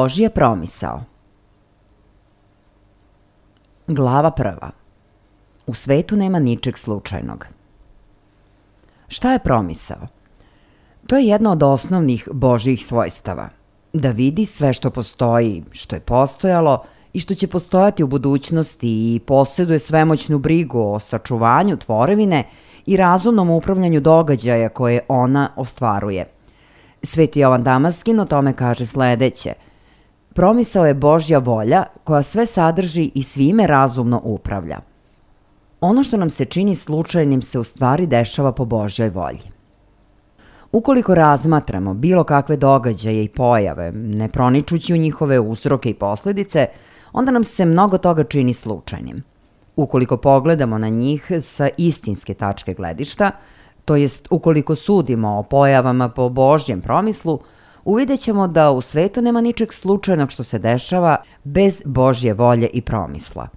Božja promisao. Glava 1. U svetu nema ničeg slučajnog. Šta je promisao? To je jedno od osnovnih Božjih svojstava. Da vidi sve što postoji, što je postojalo i što će postojati u budućnosti i posjeduje svemoćnu brigu o sačuvanju tvorevine i razumnom upravljanju događaja koje ona ostvaruje. Sveti Jovan Damaskin o tome kaže sledeće: promisao je Božja volja koja sve sadrži i svime razumno upravlja. Ono što nam se čini slučajnim se u stvari dešava po Božjoj volji. Ukoliko razmatramo bilo kakve događaje i pojave, ne proničući u njihove uzroke i posledice, onda nam se mnogo toga čini slučajnim. Ukoliko pogledamo na njih sa istinske tačke gledišta, to jest ukoliko sudimo o pojavama po Božjem promislu, uvidjet ćemo da u svetu nema ničeg slučajnog što se dešava bez Božje volje i promisla.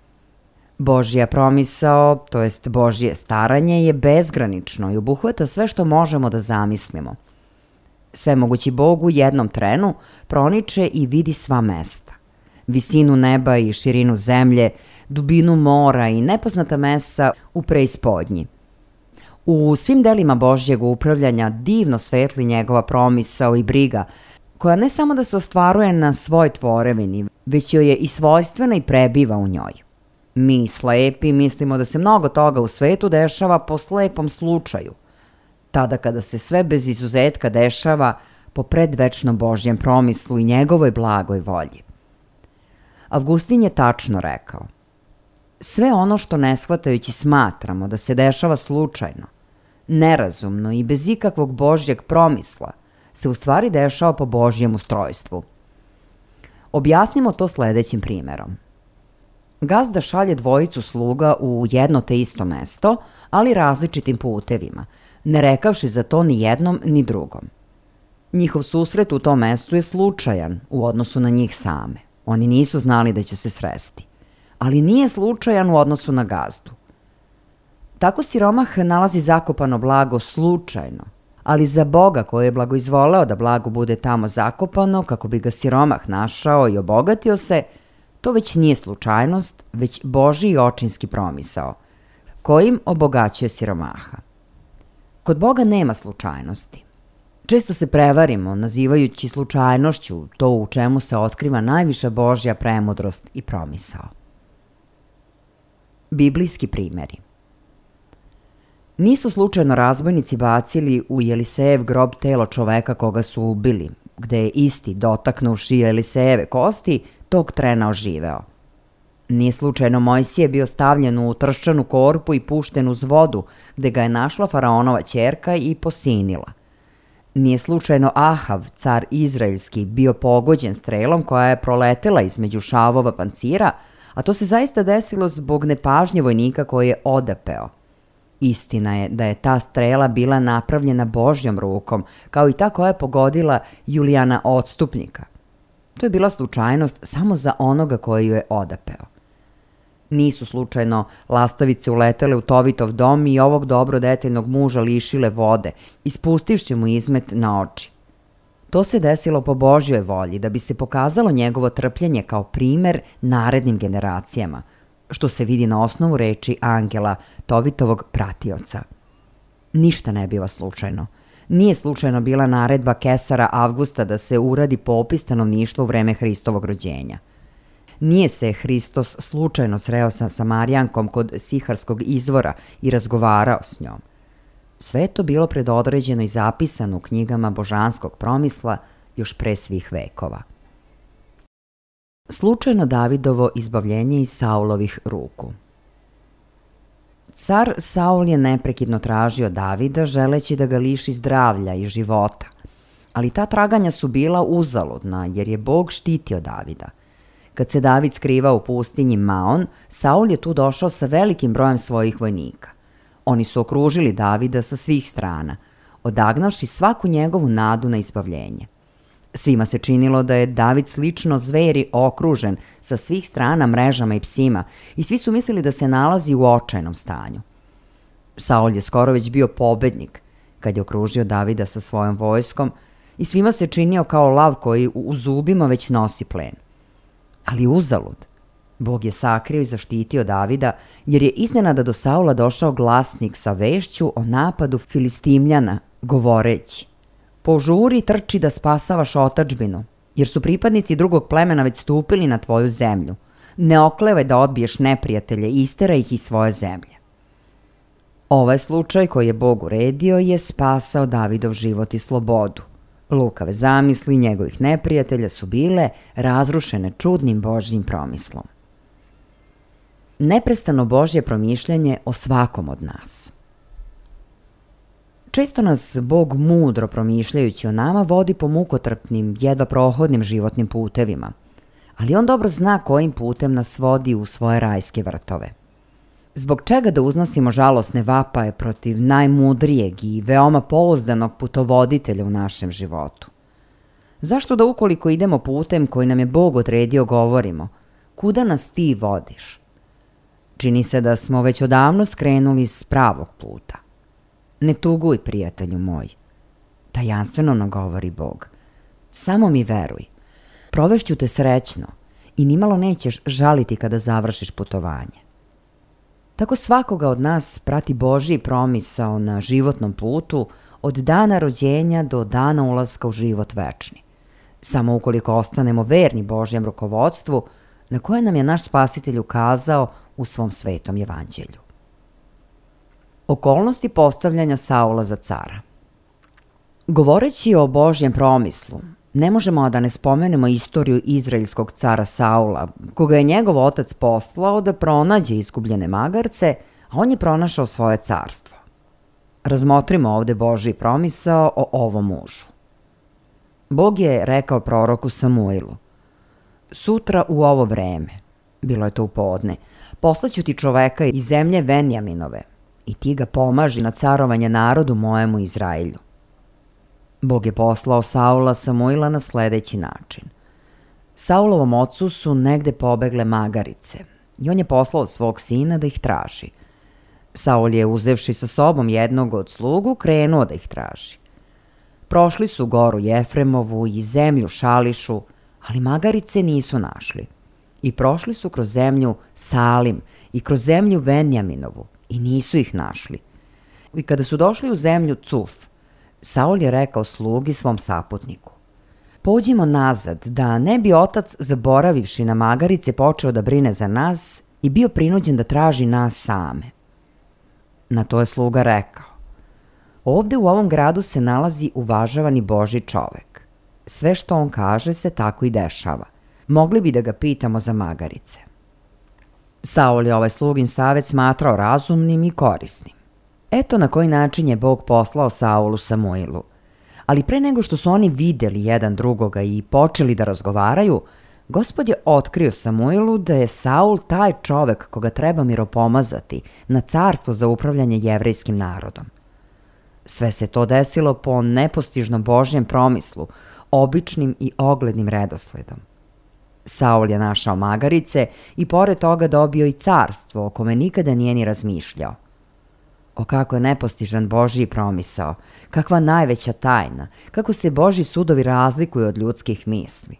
Božja promisao, to jest Božje staranje, je bezgranično i obuhvata sve što možemo da zamislimo. Svemogući Bog u jednom trenu proniče i vidi sva mesta. Visinu neba i širinu zemlje, dubinu mora i nepoznata mesa u preispodnji. U svim delima Božjeg upravljanja divno svetli njegova promisao i briga, koja ne samo da se ostvaruje na svoj tvorevini, već joj je i svojstvena i prebiva u njoj. Mi, slepi, mislimo da se mnogo toga u svetu dešava po slepom slučaju, tada kada se sve bez izuzetka dešava po predvečnom Božjem promislu i njegovoj blagoj volji. Avgustin je tačno rekao: sve ono što ne shvatajući smatramo da se dešava slučajno, nerazumno i bez ikakvog Božjeg promisla, se u stvari dešava po Božjem ustrojstvu. Objasnimo to sledećim primerom. Gazda šalje dvojicu sluga u jedno te isto mesto, ali različitim putevima, ne rekavši za to ni jednom ni drugom. Njihov susret u tom mestu je slučajan u odnosu na njih same. Oni nisu znali da će se sresti, ali nije slučajan u odnosu na gazdu. Tako siromah nalazi zakopano blago slučajno, ali za Boga koji je blagoizvoleo da blago bude tamo zakopano kako bi ga siromah našao i obogatio se, to već nije slučajnost, već Božji očinski promisao, kojim obogaćuje siromaha. Kod Boga nema slučajnosti. Često se prevarimo nazivajući slučajnošću to u čemu se otkriva najviša Božja premudrost i promisao. Biblijski primjeri. Nisu slučajno razbojnici bacili u Jelisejev grob telo čoveka koga su ubili, gde je isti, dotaknuvši Jelisejeve kosti, tog trena oživeo. Nije slučajno Mojsije bio stavljen u trščanu korpu i pušten uz vodu, gde ga je našla faraonova ćerka i posinila. Nije slučajno Ahav, car izraelski, bio pogođen strelom koja je proletela između šavova pancira, a to se zaista desilo zbog nepažnje vojnika koji je odapeo. Istina je da je ta strela bila napravljena Božjom rukom, kao i ta koja je pogodila Julijana Odstupnika. To je bila slučajnost samo za onoga koji ju je odapeo. Nisu slučajno lastavice uletele u Tovitov dom i ovog dobro detaljnog muža lišile vode, ispustivši mu izmet na oči. To se desilo po Božjoj volji da bi se pokazalo njegovo trpljenje kao primer narednim generacijama, što se vidi na osnovu reči angela Tovitovog pratioca. Ništa ne biva slučajno. Nije slučajno bila naredba Kesara Avgusta da se uradi popis stanovništva u vreme Hristovog rođenja. Nije se Hristos slučajno sreo sa Samarijankom kod Siharskog izvora i razgovarao s njom. Sve je to bilo predodređeno i zapisano u knjigama božanskog promisla još pre svih vekova. Slučajno Davidovo izbavljenje iz Saulovih ruku. Car Saul je neprekidno tražio Davida želeći da ga liši zdravlja i života, ali ta traganja su bila uzaludna jer je Bog štitio Davida. Kad se David skrivao u pustinji Maon, Saul je tu došao sa velikim brojem svojih vojnika. Oni su okružili Davida sa svih strana, odagnavši svaku njegovu nadu na izbavljenje. Svima se činilo da je David slično zveri okružen sa svih strana mrežama i psima i svi su mislili da se nalazi u očajnom stanju. Saul je skoro već bio pobednik kad je okružio Davida sa svojom vojskom i svima se činio kao lav koji u zubima već nosi plen. Ali uzalud. Bog je sakrio i zaštitio Davida jer je iznenada do Saula došao glasnik sa vešću o napadu Filistimljana, govoreći: požuri i trči da spasavaš otadžbinu, jer su pripadnici drugog plemena već stupili na tvoju zemlju. Ne oklevaj da odbiješ neprijatelje i isteraj ih iz svoje zemlje. Ovaj slučaj koji je Bog uredio je spasao Davidov život i slobodu. Lukave zamisli njegovih neprijatelja su bile razrušene čudnim Božjim promislom. Neprestano Božje promišljanje o svakom od nas. Često nas Bog mudro promišljajući o nama vodi po mukotrpnim, jedva prohodnim životnim putevima, ali on dobro zna kojim putem nas vodi u svoje rajske vrtove. Zbog čega da uznosimo žalosne vapaje protiv najmudrijeg i veoma pouzdanog putovoditelja u našem životu? Zašto da ukoliko idemo putem koji nam je Bog odredio govorimo, kuda nas ti vodiš? Čini se da smo već odavno skrenuli s pravog puta. Ne tuguj, prijatelju moj. Tajanstveno nam govori Bog. Samo mi veruj. Provešću te srećno i nimalo nećeš žaliti kada završiš putovanje. Tako svakoga od nas prati Božji promisao na životnom putu od dana rođenja do dana ulaska u život večni. Samo ukoliko ostanemo verni Božjem rukovodstvu na koje nam je naš Spasitelj ukazao u svom svetom evanđelju. Okolnosti postavljanja Saula za cara. Govoreći o Božjem promislu, ne možemo da ne spomenemo istoriju izraelskog cara Saula, koga je njegov otac poslao da pronađe izgubljene magarce, a on je pronašao svoje carstvo. Razmotrimo ovde Božji promisao o ovom mužu. Bog je rekao proroku Samuilu: sutra u ovo vreme, bilo je to u podne, poslaću ti čoveka iz zemlje Venjaminove i ti ga pomaži na carovanje narodu mojemu Izraelju. Bog je poslao Saula Samuila na sledeći način. Saulovom ocu su negde pobegle magarice i on je poslao svog sina da ih traži. Saul je, uzevši sa sobom jednog od slugu, krenuo da ih traži. Prošli su goru Jefremovu i zemlju Šališu, ali magarice nisu našli. I prošli su kroz zemlju Salim i kroz zemlju Venjaminovu i nisu ih našli. I kada su došli u zemlju Cuf, Saul je rekao slugi svom saputniku: pođimo nazad, da ne bi otac, zaboravivši na magarice, počeo da brine za nas i bio prinuđen da traži nas same. Na to je sluga rekao: ovde u ovom gradu se nalazi uvažavani Božji čovek. Sve što on kaže se tako i dešava. Mogli bi da ga pitamo za magarice. Saul je ovaj slugin savet smatrao razumnim i korisnim. Eto na koji način je Bog poslao Saulu Samuilu. Ali pre nego što su oni videli jedan drugoga i počeli da razgovaraju, Gospod je otkrio Samuilu da je Saul taj čovek koga treba miropomazati na carstvo za upravljanje jevrejskim narodom. Sve se to desilo po nepostižnom Božjem promislu, običnim i oglednim redosledom. Saul je našao magarice i pored toga dobio i carstvo o kome nikada nije ni razmišljao. O kako je nepostižan Božji promisao, kakva najveća tajna, kako se Božji sudovi razlikuju od ljudskih misli.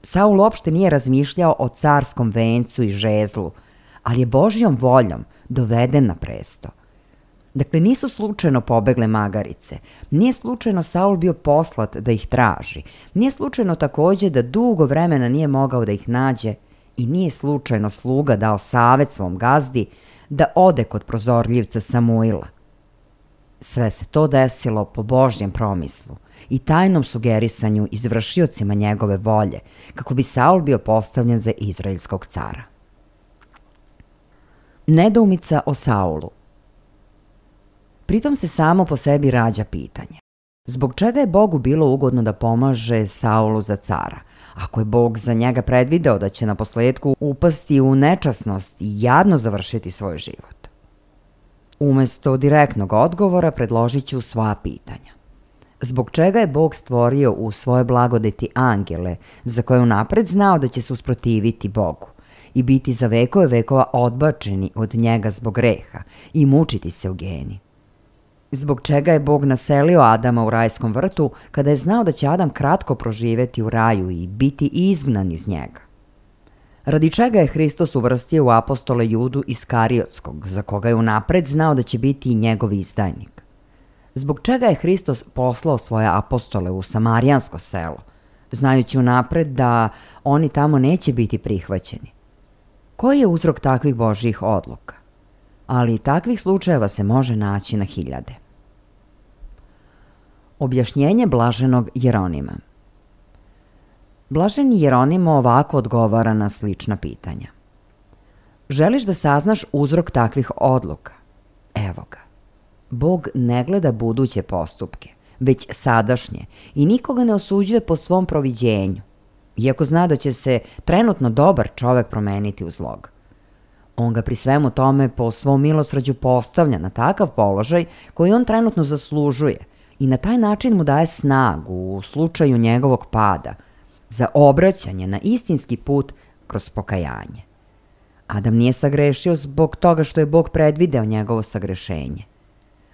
Saul uopšte nije razmišljao o carskom vencu i žezlu, ali je Božjom voljom doveden na presto. Dakle, nisu slučajno pobegle magarice, nije slučajno Saul bio poslat da ih traži, nije slučajno takođe da dugo vremena nije mogao da ih nađe i nije slučajno sluga dao savet svom gazdi da ode kod prozorljivca Samuila. Sve se to desilo po Božjem promislu i tajnom sugerisanju izvršiocima njegove volje, kako bi Saul bio postavljen za izraelskog cara. Nedoumica o Saulu. Pritom se samo po sebi rađa pitanje: zbog čega je Bogu bilo ugodno da pomaže Saulu za cara, ako je Bog za njega predvideo da će na posledku upasti u nečasnost i jadno završiti svoj život? Umesto direktnog odgovora predložit ću svoja pitanja. Zbog čega je Bog stvorio u svoje blagodeti angele, za koje unapred znao da će se usprotiviti Bogu i biti za vekove vekova odbačeni od njega zbog greha i mučiti se u geni? Zbog čega je Bog naselio Adama u rajskom vrtu kada je znao da će Adam kratko proživeti u raju i biti izgnan iz njega? Radi čega je Hristos uvrstio u apostole Judu Iskariotskog, za koga je unapred znao da će biti i njegov izdajnik? Zbog čega je Hristos poslao svoje apostole u samarijansko selo, znajući unapred da oni tamo neće biti prihvaćeni? Koji je uzrok takvih Božjih odluka? Ali takvih slučajeva se može naći na hiljade. Objašnjenje blaženog Jeronima. Blaženi Jeronimo ovako odgovara na slična pitanja. Želiš da saznaš uzrok takvih odluka? Evo ga. Bog ne gleda buduće postupke, već sadašnje i nikoga ne osuđuje po svom proviđenju, iako zna da će se trenutno dobar čovek promeniti u zlog. On ga pri svemu tome po svom milosrđu postavlja na takav položaj koji on trenutno zaslužuje i na taj način mu daje snagu u slučaju njegovog pada za obraćanje na istinski put kroz pokajanje. Adam nije sagrešio zbog toga što je Bog predvideo njegovo sagrešenje,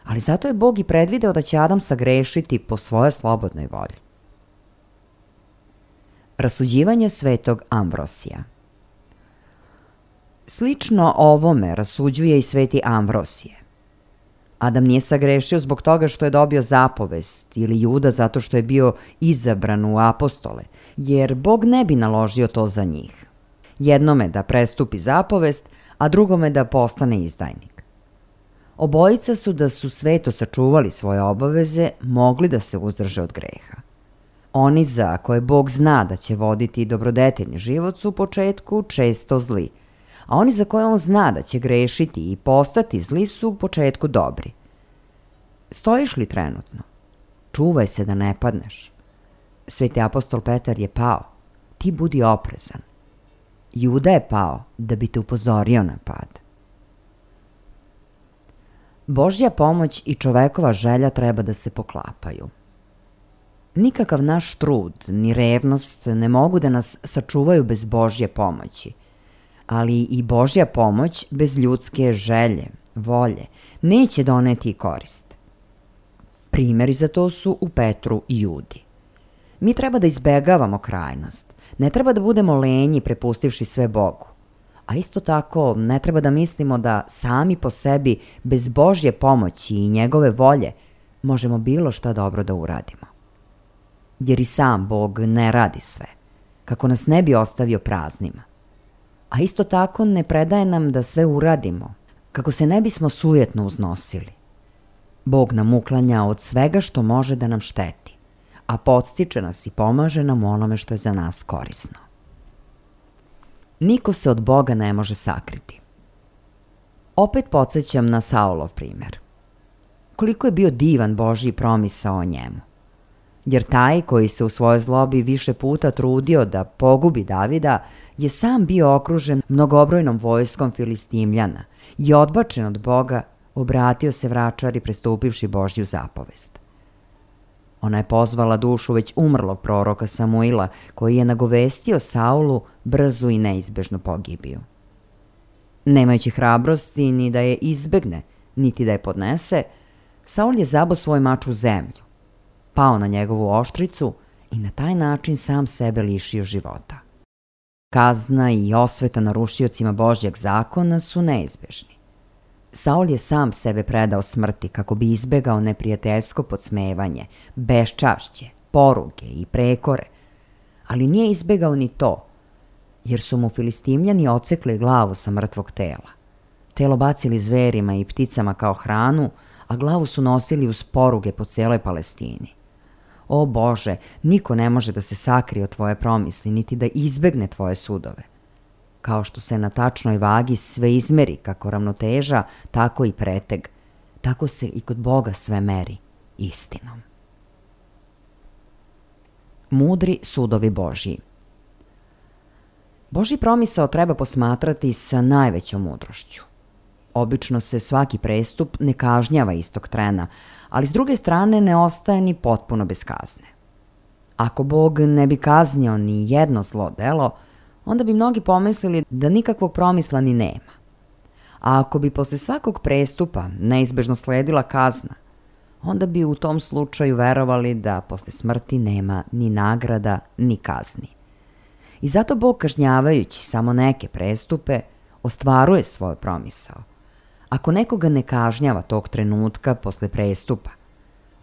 ali zato je Bog i predvideo da će Adam sagrešiti po svojoj slobodnoj volji. Rasuđivanje svetog Ambrosija. Slično ovome rasuđuje i sveti Ambrosije. Adam nije sagrešio zbog toga što je dobio zapovest ili Juda zato što je bio izabran u apostole, jer Bog ne bi naložio to za njih. Jednome da prestupi zapovest, a drugome da postane izdajnik. Obojica su da su sveto sačuvali svoje obaveze, mogli da se uzdrže od greha. Oni za koje Bog zna da će voditi dobrodeteljni život su u početku često zli, a oni za koje on zna da će grešiti i postati zli su u početku dobri. Stojiš li trenutno? Čuvaj se da ne padneš. Sveti apostol Petar je pao. Ti budi oprezan. Juda je pao da bi te upozorio na pad. Božja pomoć i čovekova želja treba da se poklapaju. Nikakav naš trud ni revnost ne mogu da nas sačuvaju bez Božje pomoći, ali i Božja pomoć bez ljudske želje, volje, neće doneti korist. Primjeri za to su u Petru i Judi. Mi treba da izbegavamo krajnost, ne treba da budemo lenji prepustivši sve Bogu, a isto tako ne treba da mislimo da sami po sebi, bez Božje pomoći i njegove volje, možemo bilo šta dobro da uradimo. Jer i sam Bog ne radi sve, kako nas ne bi ostavio praznima. A isto tako ne predaje nam da sve uradimo, kako se ne bismo sujetno uznosili. Bog nam uklanja od svega što može da nam šteti, a podstiče nas i pomaže nam u onome što je za nas korisno. Niko se od Boga ne može sakriti. Opet podsjećam na Saulov primjer. Koliko je bio divan Božji promisao o njemu. Jer taj koji se u svojoj zlobi više puta trudio da pogubi Davida je sam bio okružen mnogobrojnom vojskom Filistimljana i odbačen od Boga obratio se vračari prestupivši Božju zapovest. Ona je pozvala dušu već umrlog proroka Samuila, koji je nagovestio Saulu brzu i neizbežnu pogibiju. Nemajući hrabrosti ni da je izbegne, niti da je podnese, Saul je zabao svoj mač u zemlju, pao na njegovu oštricu i na taj način sam sebe lišio života. Kazna i osveta narušiocima Božjeg zakona su neizbežni. Saul je sam sebe predao smrti kako bi izbegao neprijateljsko podsmevanje, beščašće, poruge i prekore, ali nije izbegao ni to, jer su mu Filistimljani odsekli glavu sa mrtvog tela. Telo bacili zverima i pticama kao hranu, a glavu su nosili uz poruge po celoj Palestini. O Bože, niko ne može da se sakrije od tvoje promisli, niti da izbegne tvoje sudove. Kao što se na tačnoj vagi sve izmeri kako ravnoteža, tako i preteg. Tako se i kod Boga sve meri istinom. Mudri sudovi Božji. Božji promisao treba posmatrati sa najvećom mudrošću. Obično se svaki prestup ne kažnjava istog trena, ali s druge strane ne ostaje ni potpuno bez kazne. Ako Bog ne bi kaznio ni jedno zlo delo, onda bi mnogi pomislili da nikakvog promisla ni nema. A ako bi posle svakog prestupa neizbežno sledila kazna, onda bi u tom slučaju verovali da posle smrti nema ni nagrada ni kazni. I zato Bog, kažnjavajući samo neke prestupe, ostvaruje svoj promisao. Ako nekoga ne kažnjava tog trenutka posle prestupa,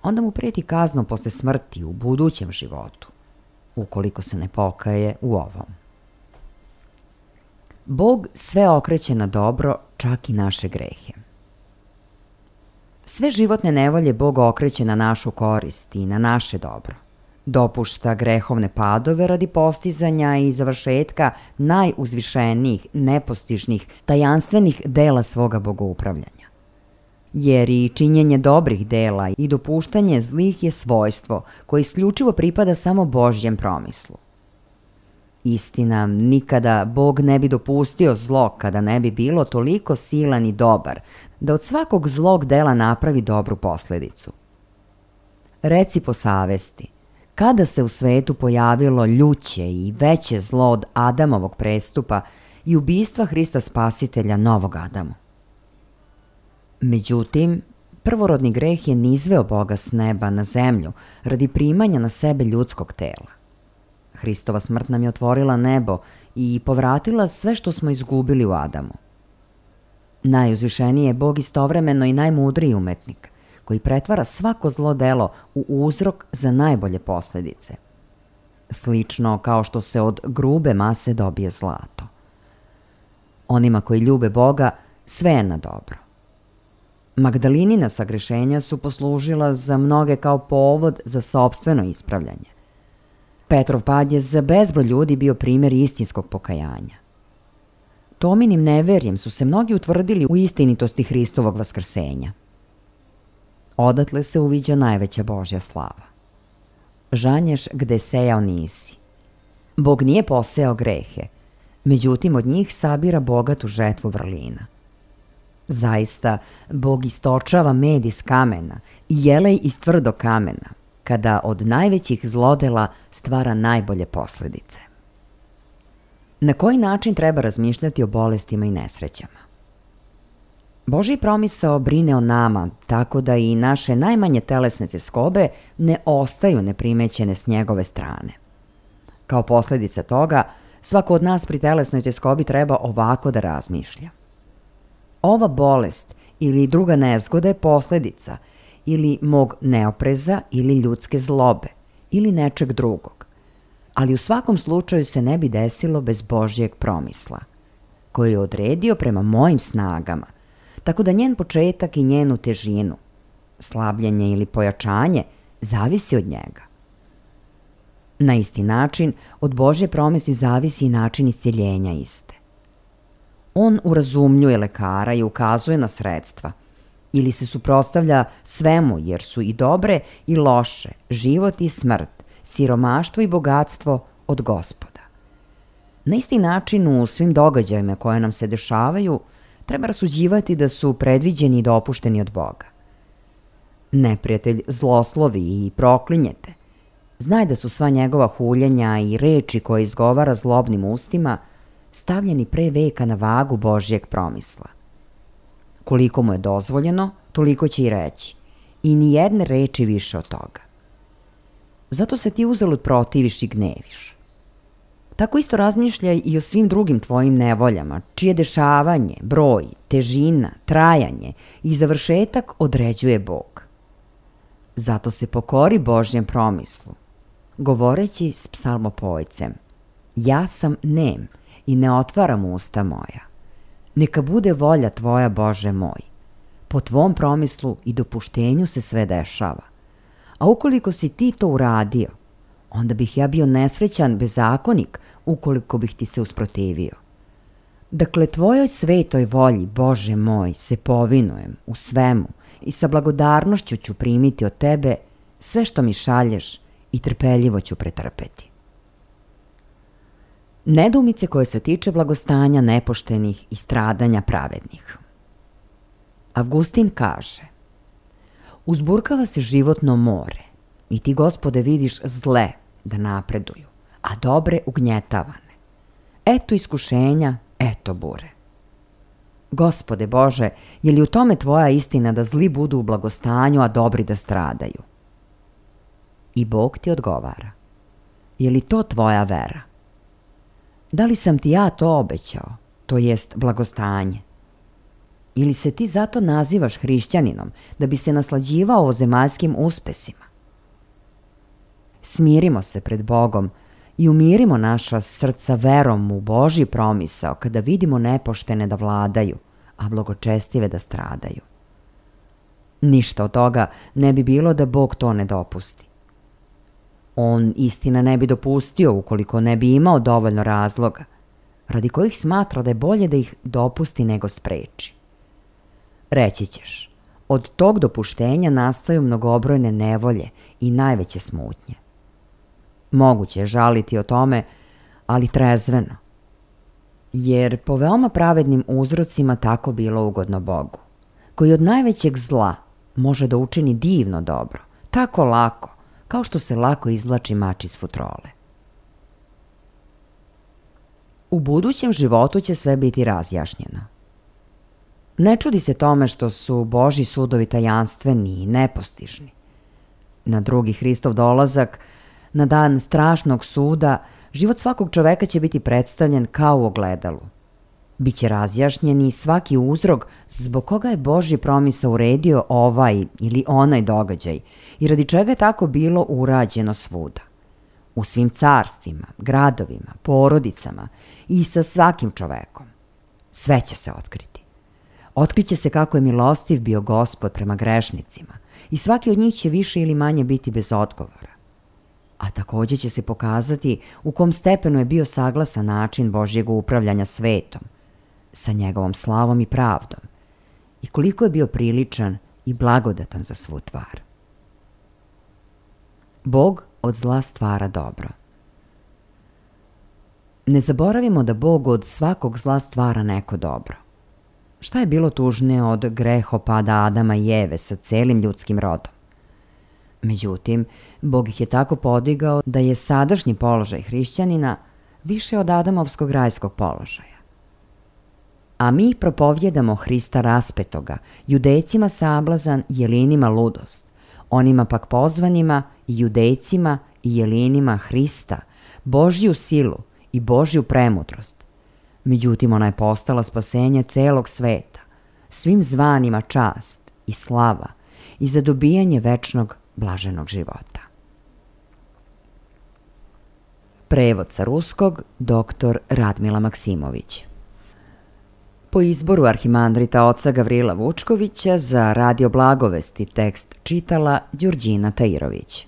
onda mu preti kaznom posle smrti u budućem životu, ukoliko se ne pokaje u ovom. Bog sve okreće na dobro, čak i naše grehe. Sve životne nevolje Bog okreće na našu korist i na naše dobro. Dopušta grehovne padove radi postizanja i završetka najuzvišenijih, nepostižnih, tajanstvenih dela svoga bogoupravljanja. jer i činjenje dobrih dela i dopuštanje zlih je svojstvo koje isključivo pripada samo Božjem promislu. Istina, nikada Bog ne bi dopustio zlo kada ne bi bilo toliko silan i dobar da od svakog zlog dela napravi dobru posledicu. Reci po savesti, kada se u svetu pojavilo ljuće i veće zlo od Adamovog prestupa i ubistva Hrista Spasitelja novog Adamu? Međutim, prvorodni greh je nizveo Boga s neba na zemlju radi primanja na sebe ljudskog tela. Hristova smrt nam je otvorila nebo i povratila sve što smo izgubili u Adamu. Najuzvišeniji je Bog istovremeno i najmudriji umetnik, koji pretvara svako zlo delo u uzrok za najbolje posledice. Slično kao što se od grube mase dobije zlato. Onima koji ljube Boga, sve je na dobro. Magdalinina sagrešenja su poslužila za mnoge kao povod za sopstveno ispravljanje. Petrov pad je za bezbroj ljudi bio primjer istinskog pokajanja. Tominim neverjem su se mnogi utvrdili u istinitosti Hristovog vaskrsenja. Odatle se uviđa najveća Božja slava. Žanješ gde sejao nisi. Bog nije posejao grehe, međutim od njih sabira bogatu žetvu vrlina. Zaista, Bog istočava med iz kamena i jelej iz tvrdog kamena, kada od najvećih zlodela stvara najbolje posledice. Na koji način treba razmišljati o bolestima i nesrećama? Božji promisao brine o nama, tako da i naše najmanje telesne tjeskobe ne ostaju neprimećene s njegove strane. Kao posljedica toga, svako od nas pri telesnoj tjeskobi treba ovako da razmišlja. Ova bolest ili druga nezgoda je posljedica ili mog neopreza ili ljudske zlobe ili nečeg drugog, ali u svakom slučaju se ne bi desilo bez Božjeg promisla, koji je odredio prema mojim snagama, tako da njen početak i njenu težinu, slabljenje ili pojačanje, zavisi od njega. Na isti način, od Božje promisli zavisi i način iscjeljenja iste. On urazumljuje lekara i ukazuje na sredstva, ili se suprotstavlja svemu jer su i dobre i loše, život i smrt, siromaštvo i bogatstvo od Gospoda. Na isti način u svim događajima koje nam se dešavaju treba rasuđivati da su predviđeni i dopušteni od Boga. Neprijatelj zloslovi i proklinjete. Znaj da su sva njegova huljenja i reči koje izgovara zlobnim ustima stavljeni pre veka na vagu Božjeg promisla. Koliko mu je dozvoljeno, toliko će i reći, i ni jedne reči više od toga. Zato se ti uzalud protiviš i gneviš. Tako isto razmišljaj i o svim drugim tvojim nevoljama, čije dešavanje, broj, težina, trajanje i završetak određuje Bog. Zato se pokori Božjem promislu, govoreći s psalmopojcem: ja sam nem i ne otvaram usta moja. Neka bude volja tvoja, Bože moj. Po tvom promislu i dopuštenju se sve dešava. A ukoliko si ti to uradio, onda bih ja bio nesrećan bezakonik ukoliko bih ti se usprotivio. Dakle, tvojoj svetoj volji, Bože moj, se povinujem u svemu i sa blagodarnošću ću primiti od tebe sve što mi šalješ i trpeljivo ću pretrpeti. Nedoumice koje se tiče blagostanja nepoštenih i stradanja pravednih. Avgustin kaže: uzburkava se životno more i ti, Gospode, vidiš zle da napreduju, a dobre ugnjetavane. Eto iskušenja, eto bure. Gospode Bože, je li u tome tvoja istina da zli budu u blagostanju, a dobri da stradaju? I Bog ti odgovara: je li to tvoja vera? Da li sam ti ja to obećao, to jest blagostanje? Ili se ti zato nazivaš hrišćaninom, da bi se naslađivao o zemaljskim uspesima? Smirimo se pred Bogom i umirimo naša srca verom u Božji promisao kada vidimo nepoštene da vladaju, a blagočestive da stradaju. Ništa od toga ne bi bilo da Bog to ne dopusti. On istina ne bi dopustio ukoliko ne bi imao dovoljno razloga, radi kojih smatra da je bolje da ih dopusti nego spreči. Reći ćeš: Od tog dopuštenja nastaju mnogobrojne nevolje i najveće smutnje. Moguće je žaliti o tome, ali trezveno, jer po veoma pravednim uzrocima tako bilo ugodno Bogu, koji od najvećeg zla može da učini divno dobro, tako lako, kao što se lako izvlači mač iz futrole. U budućem životu će sve biti razjašnjeno. Ne čudi se tome što su Božji sudovi tajanstveni i nepostižni. Na drugi Hristov dolazak, na dan strašnog suda, život svakog čoveka će biti predstavljen kao u ogledalu. Biće razjašnjen i svaki uzrok zbog koga je Božji promisao uredio ovaj ili onaj događaj i radi čega je tako bilo urađeno svuda. U svim carstvima, gradovima, porodicama i sa svakim čovekom. Sve će se otkriti. Otkriće se kako je milostiv bio Gospod prema grešnicima i svaki od njih će više ili manje biti bez odgovora. A takođe će se pokazati u kom stepenu je bio saglasan način Božjeg upravljanja svetom, sa njegovom slavom i pravdom, i koliko je bio priličan i blagodatan za svu tvar. Bog od zla stvara dobro. Ne zaboravimo da Bog od svakog zla stvara neko dobro. Šta je bilo tužnije od grehopada Adama i Eve sa celim ljudskim rodom? Međutim, Bog ih je tako podigao da je sadašnji položaj hrišćanina više od Adamovskog rajskog položaja. A mi propovjedamo Hrista raspetoga, Judejcima sablazan, Jelinima ludost, onima pak pozvanima i Judejcima i Jelinima Hrista, Božju silu i Božju premudrost. Međutim, ona je postala spasenje celog sveta, svim zvanima čast i slava i za dobijanje večnog blaženog života. Prevod sa ruskog dr. Radmila Maksimović. Po izboru arhimandrita oca Gavrila Vučkovića za Radio Blagovesti tekst čitala Đurđina Tairović.